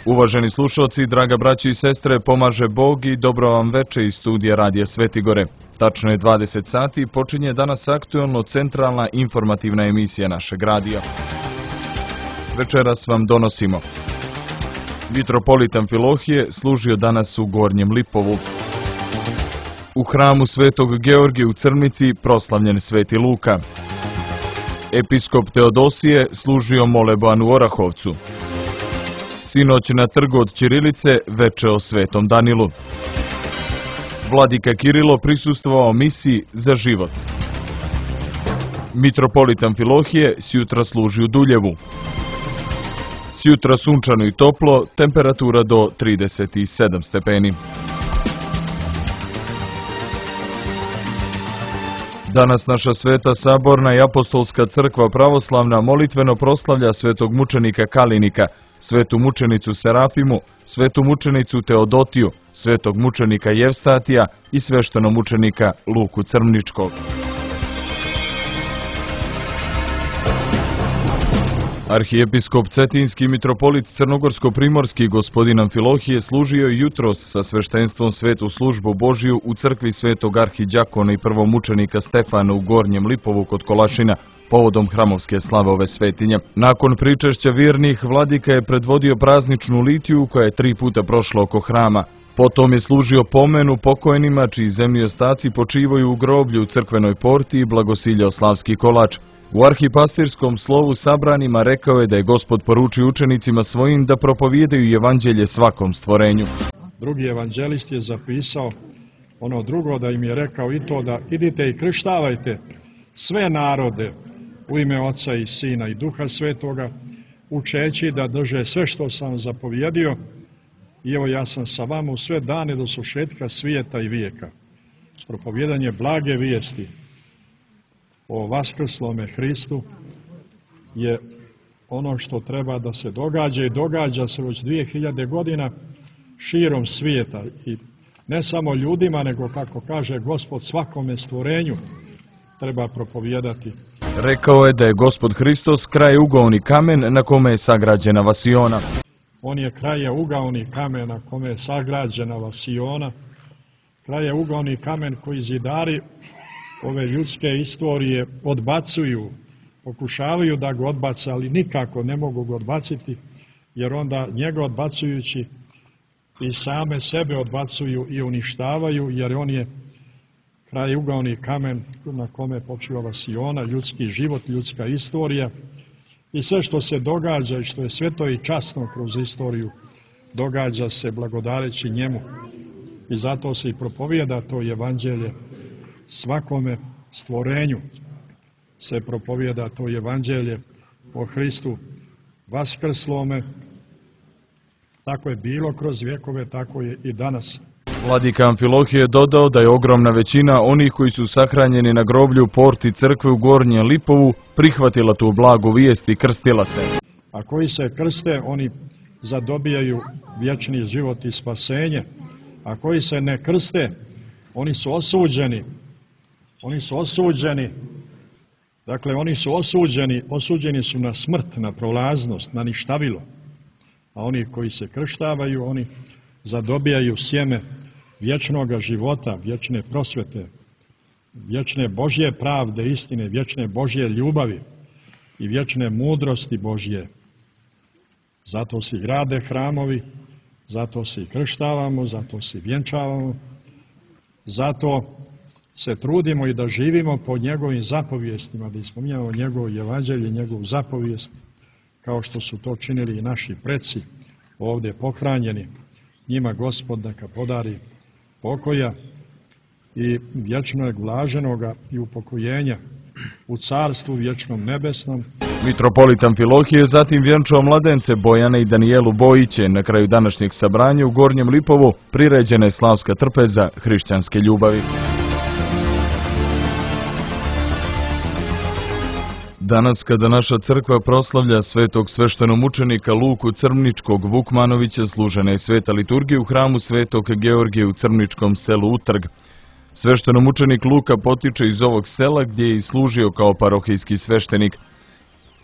Uvaženi slušalci, draga braći i sestre, pomaže Bog i dobro vam veče iz studija Radija Svetigore. Tačno je 20 sati i počinje danas aktuelno centralna informativna emisija našeg radija. Večeras vam donosimo. Mitropolit Amfilohije služio danas u Gornjem Lipovu. U hramu Svetog Georgija u Crnici proslavljen Sveti Luka. Episkop Teodosije služio moleban u Orahovcu. Sinoć na trgu od Ćirilice veče o Svetom Danilu. Vladika Kirilo prisustvovao misiji za život. Mitropolit Amfilohije sjutra služi u Duljevu. Sjutra sunčano i toplo, temperatura do 37 stepeni. Danas naša Sveta Saborna i Apostolska crkva pravoslavna molitveno proslavlja svetog mučenika Kalinika, svetu mučenicu Serafimu, svetu mučenicu Teodotiju, svetog mučenika Jevstatija i sveštenog mučenika Luku Crničkog. Arhijepiskop Cetinski mitropolit Crnogorsko-primorski gospodin Amfilohije služio jutros sa sveštenstvom svetu službu Božiju u crkvi svetog arhidjakona i prvomučenika Stefana u Gornjem Lipovu kod Kolašina, povodom hramovske slave ove svetinje. Nakon pričešća vjernih, vladika je predvodio prazničnu litiju koja je 3 puta prošla oko hrama. Potom je služio pomenu pokojnima čiji zemlji ostaci počivaju u groblju u crkvenoj porti i blagosiljao slavski kolač. U arhipastirskom slovu sabranima rekao je da je Gospod poručio učenicima svojim da propovijedaju evanđelje svakom stvorenju. Drugi evanđelist je zapisao ono drugo, da im je rekao i to da idite i krštavajte sve narode u ime Oca i Sina i Duha Svetoga, učeći da drže sve što sam zapovjedio, i evo ja sam sa vama u sve dane do svršetka svijeta i vijeka. Propovjedanje blage vijesti o vaskrslome Hristu je ono što treba da se događa i događa se već 2000 godina širom svijeta, i ne samo ljudima, nego, kako kaže Gospod, svakome stvorenju treba propovijedati. Rekao je da je Gospod Hristos krajugaoni kamen na kome je sagrađena vasiona. On je krajugaoni kamen na kome je sagrađena vasiona, krajugaoni kamen koji zidari ove ljudske istorije odbacuju, pokušavaju da ga odbace, ali nikako ne mogu ga odbaciti, jer onda njega odbacujući i same sebe odbacuju i uništavaju, jer on je krajugaoni kamen na kome počiva vasiona, ljudski život, ljudska istorija, i sve što se događa i što je sveto i časno kroz istoriju događa se blagodareći njemu, i zato se i propovijeda to evanđelje svakome stvorenju, se propovijeda to evanđelje o Hristu vaskrslome. Tako je bilo kroz vjekove, tako je i danas. Vladika Amfilohije je dodao da je ogromna većina onih koji su sahranjeni na groblju porti crkve u Gornjem Lipovu prihvatila tu blagu vijest i krstila se. A koji se krste, oni zadobijaju vječni život i spasenje. A koji se ne krste, oni su osuđeni. Oni su osuđeni. Dakle, oni su osuđeni su na smrt, na prolaznost, na ništavilo. A oni koji se krštavaju, oni zadobijaju sjeme vječnoga života, vječne prosvete, vječne Božje pravde, istine, vječne Božje ljubavi i vječne mudrosti Božje. Zato se grade hramovi, zato se i krštavamo, zato se vjenčavamo, zato se trudimo i da živimo po njegovim zapovijestima, da ispominjamo njegovo evanđelje, njegovu zapovijest, kao što su to činili i naši preci ovdje pohranjeni. Njima Gospod neka podari pokoja i vječnog blaženoga i upokojenja u carstvu vječnom nebesnom. Mitropolit Amfilohije zatim vjenčao mladence Bojana i Danijelu Bojiće. Na kraju današnjeg sabranja u Gornjem Lipovu priređena je slavska trpeza hrišćanske ljubavi. Danas, kada naša crkva proslavlja svetog sveštenomučenika Luku Crničkog Vukmanovića, služena je sveta liturgija u hramu Svetog Georgija u Crničkom selu Utrg. Sveštenomučenik Luka potiče iz ovog sela gdje je i služio kao parohijski sveštenik.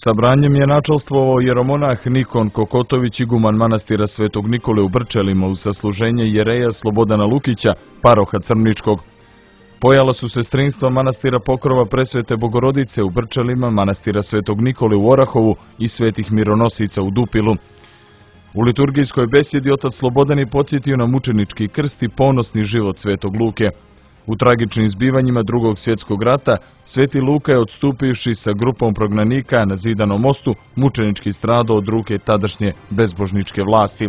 Sabranjem je načelstvovao jeromonah Nikon Kokotović, iguman manastira Svetog Nikole u Brčelima, uz sasluženje jereja Slobodana Lukića, paroha Crničkog. Pojala su sestrinstva manastira Pokrova Presvete Bogorodice u Brčelima, manastira Svetog Nikole u Orahovu i Svetih Mironosica u Dupilu. U liturgijskoj besjedi otac Slobodan je podsjetio na mučenički krst i ponosni život Svetog Luke. U tragičnim zbivanjima Drugog svjetskog rata, Sveti Luka je, odstupivši sa grupom prognanika na Zidanom mostu, mučenički stradao od ruke tadašnje bezbožničke vlasti.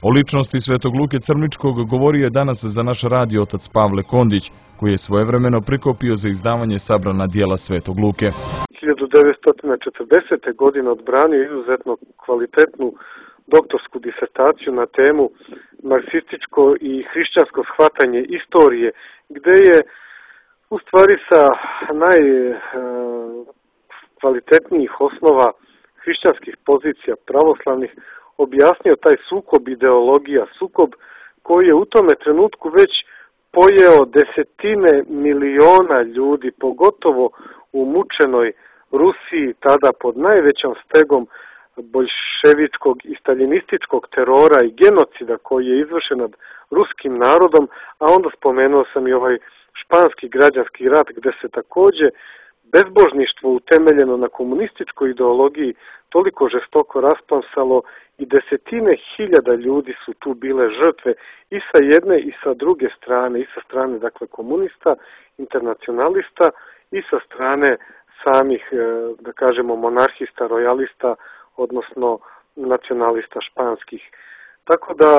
O ličnosti Svetog Luke Crničkog govorio je danas za naš radio otac Pavle Kondić, koji je svojevremeno prikopio za izdavanje sabrana dijela Svetog Luke. 1940. godine odbranio izuzetno kvalitetnu doktorsku disertaciju na temu marksističko i hrišćansko shvatanje istorije, gde je u stvari sa najkvalitetnijih osnova hrišćanskih pozicija pravoslavnih objasnio taj sukob ideologija, sukob koji je u tome trenutku već pojeo desetine miliona ljudi, pogotovo u mučenoj Rusiji, tada pod najvećom stegom boljševičkog i staljinističkog terora i genocida koji je izvršen nad ruskim narodom, a onda spomenuo sam i ovaj španski građanski rat gde se takođe bezbožništvo utemeljeno na komunističkoj ideologiji toliko žestoko rasplamsalo i desetine hiljada ljudi su tu bile žrtve i sa jedne i sa druge strane, i sa strane dakle komunista, internacionalista i sa strane samih, da kažemo, monarhista, rojalista, odnosno nacionalista španskih. Tako da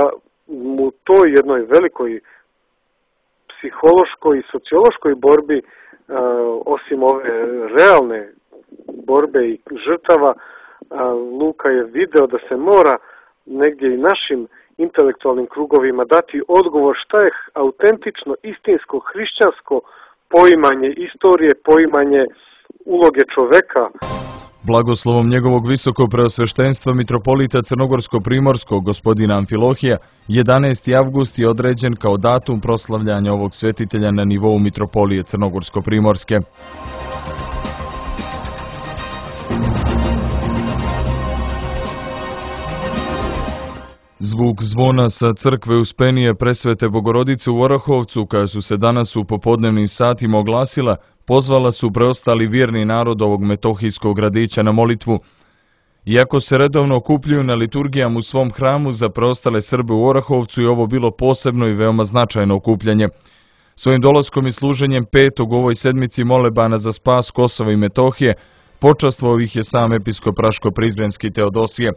u toj jednoj velikoj psihološkoj i sociološkoj borbi, osim ove realne borbe i žrtava, Luka je video da se mora negdje i našim intelektualnim krugovima dati odgovor šta je autentično, istinsko, hrišćansko poimanje istorije, poimanje uloge čoveka. Blagoslovom njegovog visokog preosveštenstva mitropolita Crnogorsko-primorskog gospodina Amfilohija, 11. avgust je određen kao datum proslavljanja ovog svetitelja na nivou mitropolije Crnogorsko-primorske. Zvuk zvona sa crkve Uspenije Presvete Bogorodice u Orahovcu, koja su se danas u popodnevnim satima oglasila, pozvala su preostali vjerni narod ovog metohijskog gradića na molitvu. Iako se redovno okupljuju na liturgijama u svom hramu, za preostale Srbe u Orahovcu je ovo bilo posebno i veoma značajno okupljanje. Svojim dolaskom i služenjem petog u ovoj sedmici molebana za spas Kosova i Metohije, počastvovao ih je sam episkop Raško-Prizrenski Teodosije.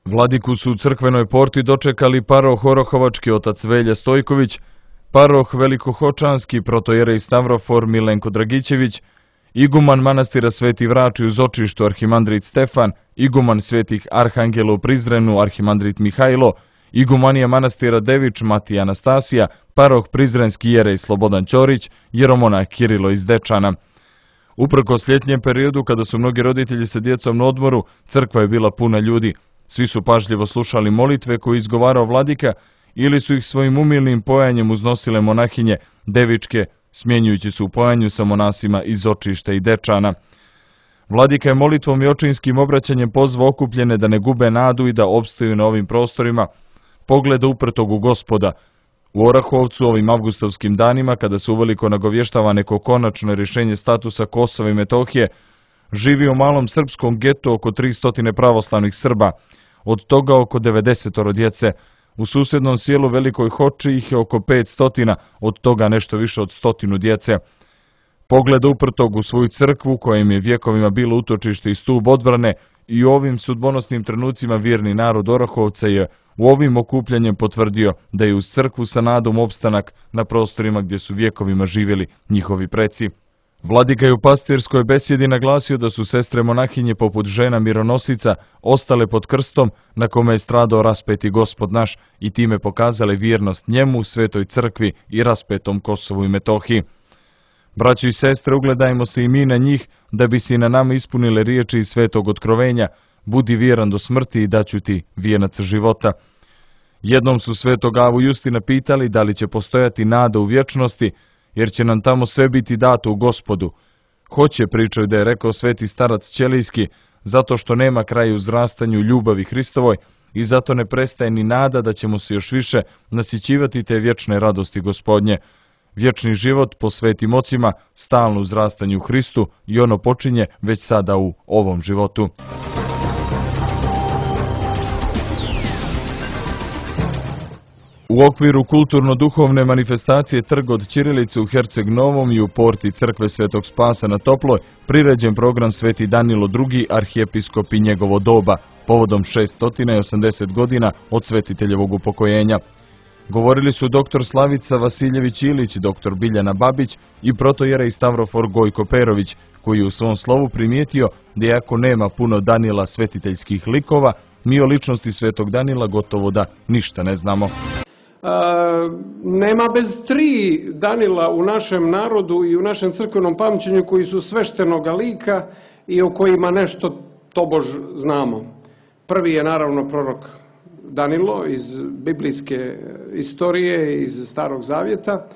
Vladiku su u crkvenoj porti dočekali paroh Orahovački otac Velja Stojković, paroh Velikohočanski protojerej Stavrofor Milenko Dragićević, iguman manastira Sveti Vrači u Zočištu arhimandrit Stefan, iguman Svetih Arhangela u Prizrenu arhimandrit Mihajlo, igumanija manastira Devič Matija Anastasija, paroh Prizrenski jerej Slobodan Ćorić, jeromonah Kirilo iz Dečana. Uprkos ljetnjem periodu, kada su mnogi roditelji sa djecom na odmoru, crkva je bila puna ljudi. Svi su pažljivo slušali molitve koje izgovarao vladika ili su ih svojim umilnim pojanjem uznosile monahinje devičke, smjenjujući se u pojanju sa monasima iz Očišta i Dečana. Vladika je molitvom i očinskim obraćanjem pozvao okupljene da ne gube nadu i da opstaju na ovim prostorima pogleda uprtog u Gospoda. U Orahovcu ovim avgustovskim danima, kada se uveliko nagovještava neko konačno rješenje statusa Kosova i Metohije, živi u malom srpskom getu oko 300 pravoslavnih Srba, od toga oko 90 djece. U susjednom sjelu Velikoj Hoči ih je oko 500, od toga nešto više od 100 djece. Pogleda uprtog u svoju crkvu, koja im je vjekovima bilo utočište i stub odbrane, i u ovim sudbonosnim trenucima vjerni narod Orahovca je u ovim okupljanjem potvrdio da je uz crkvu sa nadom opstanak na prostorima gdje su vjekovima živjeli njihovi preci. Vladika je u pastirskoj besjedi naglasio da su sestre monahinje poput žena mironosica ostale pod krstom na kome je stradao raspeti Gospod naš i time pokazale vjernost njemu, Svetoj crkvi i raspetom Kosovu i Metohiji. Braćo i sestre, ugledajmo se i mi na njih da bi se i na nama ispunile riječi iz Svetog otkrovenja: budi vjeran do smrti i daću ti vijenac života. Jednom su Svetog Avu Justina pitali da li će postojati nada u vječnosti, jer će nam tamo sve biti dato u Gospodu. hoće, pričaju da je rekao sveti starac Ćelijski, zato što nema kraja uzrastanju ljubavi Hristovoj i zato ne prestaje ni nada da ćemo se još više nasićivati te vječne radosti Gospodnje. Vječni život po svetim ocima, stalno uzrastanju u Hristu i ono počinje već sada u ovom životu. U okviru kulturno-duhovne manifestacije Trg od ćirilice u Herceg Novom i u porti crkve Svetog Spasa na Toploj priređen program Sveti Danilo II, arhijepiskop i njegovo doba, povodom 680 godina od svetiteljevog upokojenja. Govorili su dr. Slavica Vasiljević-Ilić, dr. Biljana Babić i protojerej Stavrofor Gojko Perović, koji je u svom slovu primijetio da iako nema puno Danila svetiteljskih likova, mi o ličnosti Svetog Danila gotovo da ništa ne znamo. Nema bez 3 Danila u našem narodu i u našem crkvenom pamćenju koji su sveštenoga lika i o kojima nešto tobož znamo. Prvi je naravno prorok Danilo iz biblijske istorije, iz Starog Zavjeta.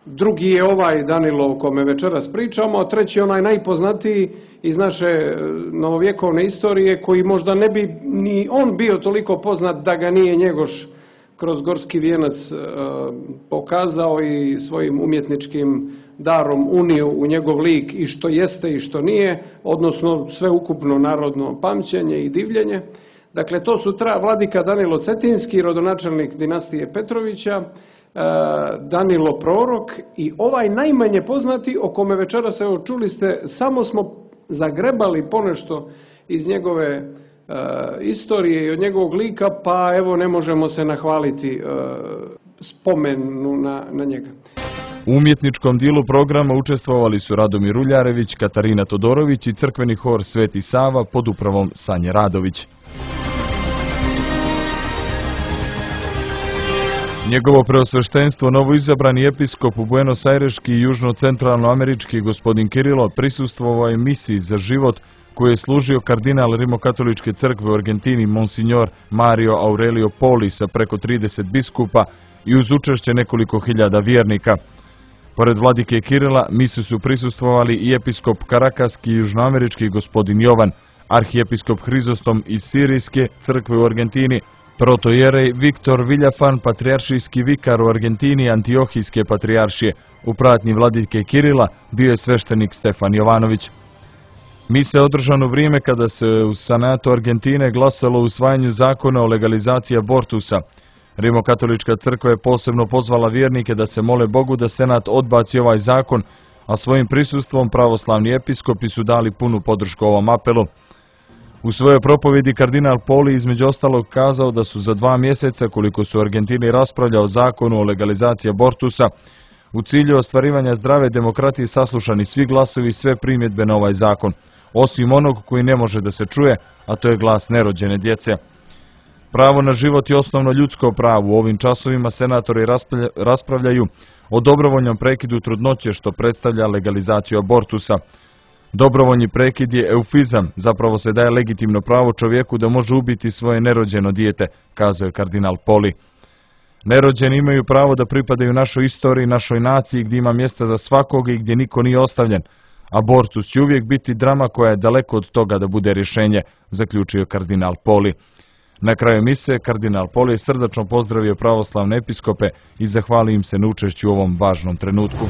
Drugi je ovaj Danilo o kome večeras pričamo, a treći je onaj najpoznatiji iz naše novovjekovne istorije, koji možda ne bi ni on bio toliko poznat da ga nije Njegoš kroz Gorski vijenac pokazao i svojim umjetničkim darom unio u njegov lik i što jeste i što nije, odnosno sveukupno narodno pamćenje i divljenje. Dakle, to su vladika Danilo Cetinski, rodonačelnik dinastije Petrovića, Danilo prorok i ovaj najmanje poznati o kome večeras evo čuli ste, samo smo zagrebali ponešto iz njegove istorije i od njegovog lika, pa evo ne možemo se nahvaliti spomenu na njega. U umjetničkom dijelu programa učestvovali su Radomir Uljarević, Katarina Todorović i crkveni hor Sveti Sava pod upravom Sanje Radović. Njegovo preosveštenstvo, novoizabrani episkop u Buenos Aireški i južno-centralnoamerički gospodin Kirilo prisustvovao je misiji za život koju je služio kardinal Rimokatoličke crkve u Argentini Monsignor Mario Aurelio Poli sa preko 30 biskupa i uz učešće nekoliko hiljada vjernika. Pored vladike Kirila misiju su prisustvovali i episkop Karakaski i južnoamerički gospodin Jovan, arhijepiskop Hrizostom iz Sirijske crkve u Argentini, protojerej Viktor Viljafan, patrijaršijski vikar u Argentini Antiohijske patrijaršije. U pratnji vladike Kirila bio je sveštenik Stefan Jovanović. Mise je održana u vrijeme kada se u Senatu Argentine glasalo o usvajanju zakona o legalizaciji abortusa. Rimokatolička crkva je posebno pozvala vjernike da se mole Bogu da Senat odbaci ovaj zakon, a svojim prisustvom pravoslavni episkopi su dali punu podršku ovom apelu. U svojoj propovjedi kardinal Poli između ostalog kazao da su za 2 mjeseca, koliko su u Argentini raspravljali o zakonu o legalizaciji abortusa, u cilju ostvarivanja zdrave demokratije saslušani svi glasovi i sve primjedbe na ovaj zakon, osim onog koji ne može da se čuje, a to je glas nerođene djece. Pravo na život je osnovno ljudsko pravo. U ovim časovima senatori raspravljaju o dobrovoljnom prekidu trudnoće, što predstavlja legalizaciju abortusa. Dobrovoljni prekid je eufizam, zapravo se daje legitimno pravo čovjeku da može ubiti svoje nerođeno dijete, kazao je kardinal Poli. Nerođeni imaju pravo da pripadaju našoj istoriji, našoj naciji, gdje ima mjesta za svakoga i gdje niko nije ostavljen. Abortus će uvijek biti drama koja je daleko od toga da bude rješenje, zaključio kardinal Poli. Na kraju mise, kardinal Poli je srdačno pozdravio pravoslavne episkope i zahvalio im se na učešću u ovom važnom trenutku.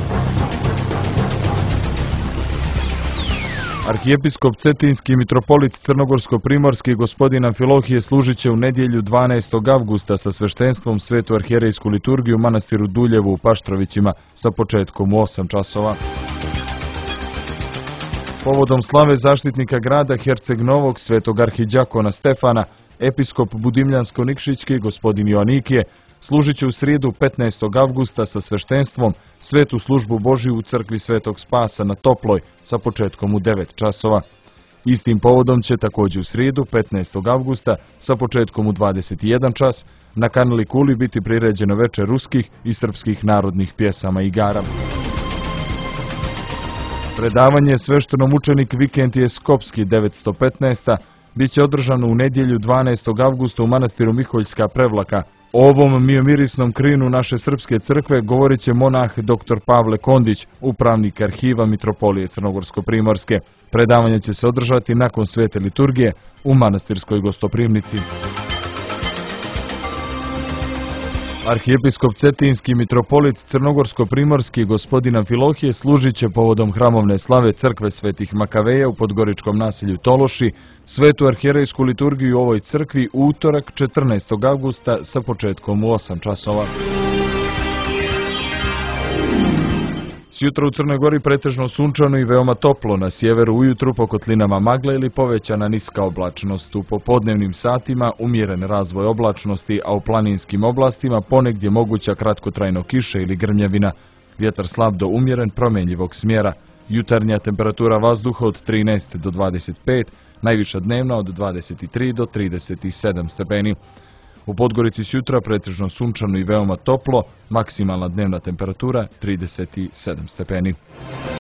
Arhijepiskop Cetinski i mitropolit Crnogorsko-primorski gospodin Amfilohije služit će u nedjelju 12. avgusta sa sveštenstvom svetu arhijerejsku liturgiju u manastiru Duljevu u Paštrovićima sa početkom u 8 časova. Povodom slave zaštitnika grada Herceg Novog svetog arhidjakona Stefana, episkop Budimljansko-Nikšićki gospodin Joanikije služit će u srijedu 15. avgusta sa sveštenstvom svetu službu Božiju u crkvi Svetog Spasa na Toploj sa početkom u 9 časova. Istim povodom će također u srijedu 15. avgusta sa početkom u 21 čas na kanali Kuli biti priređeno večer ruskih i srpskih narodnih pjesama i igara. Predavanje sveštenom učenik Vikentije Skopski 915. bit će održano u nedjelju 12. avgusta u manastiru Miholjska Prevlaka O ovom miomirisnom krinu naše srpske crkve govorit će monah dr. Pavle Kondić, upravnik arhiva Mitropolije Crnogorsko-primorske. Predavanje će se održati nakon svete liturgije u manastirskoj gostoprimnici. Arhijepiskop Cetinski mitropolit Crnogorsko-primorski gospodin Amfilohije služit će povodom hramovne slave crkve svetih Makaveja u podgoričkom naselju Tološi svetu arhijerejsku liturgiju u ovoj crkvi u utorak 14. avgusta sa početkom u 8 časova. Sjutra u Crnoj Gori pretežno sunčano i veoma toplo, na sjeveru ujutru po kotlinama magle ili povećana niska oblačnost. U popodnevnim satima umjeren razvoj oblačnosti, a u planinskim oblastima ponegdje moguća kratkotrajno kiša ili grmljavina. Vjetar slab do umjeren promjenjivog smjera. Jutarnja temperatura vazduha od 13 do 25, najviša dnevna od 23 do 37 stepeni. U Podgorici sjutra pretežno sunčano i veoma toplo, maksimalna dnevna temperatura 37 stepeni.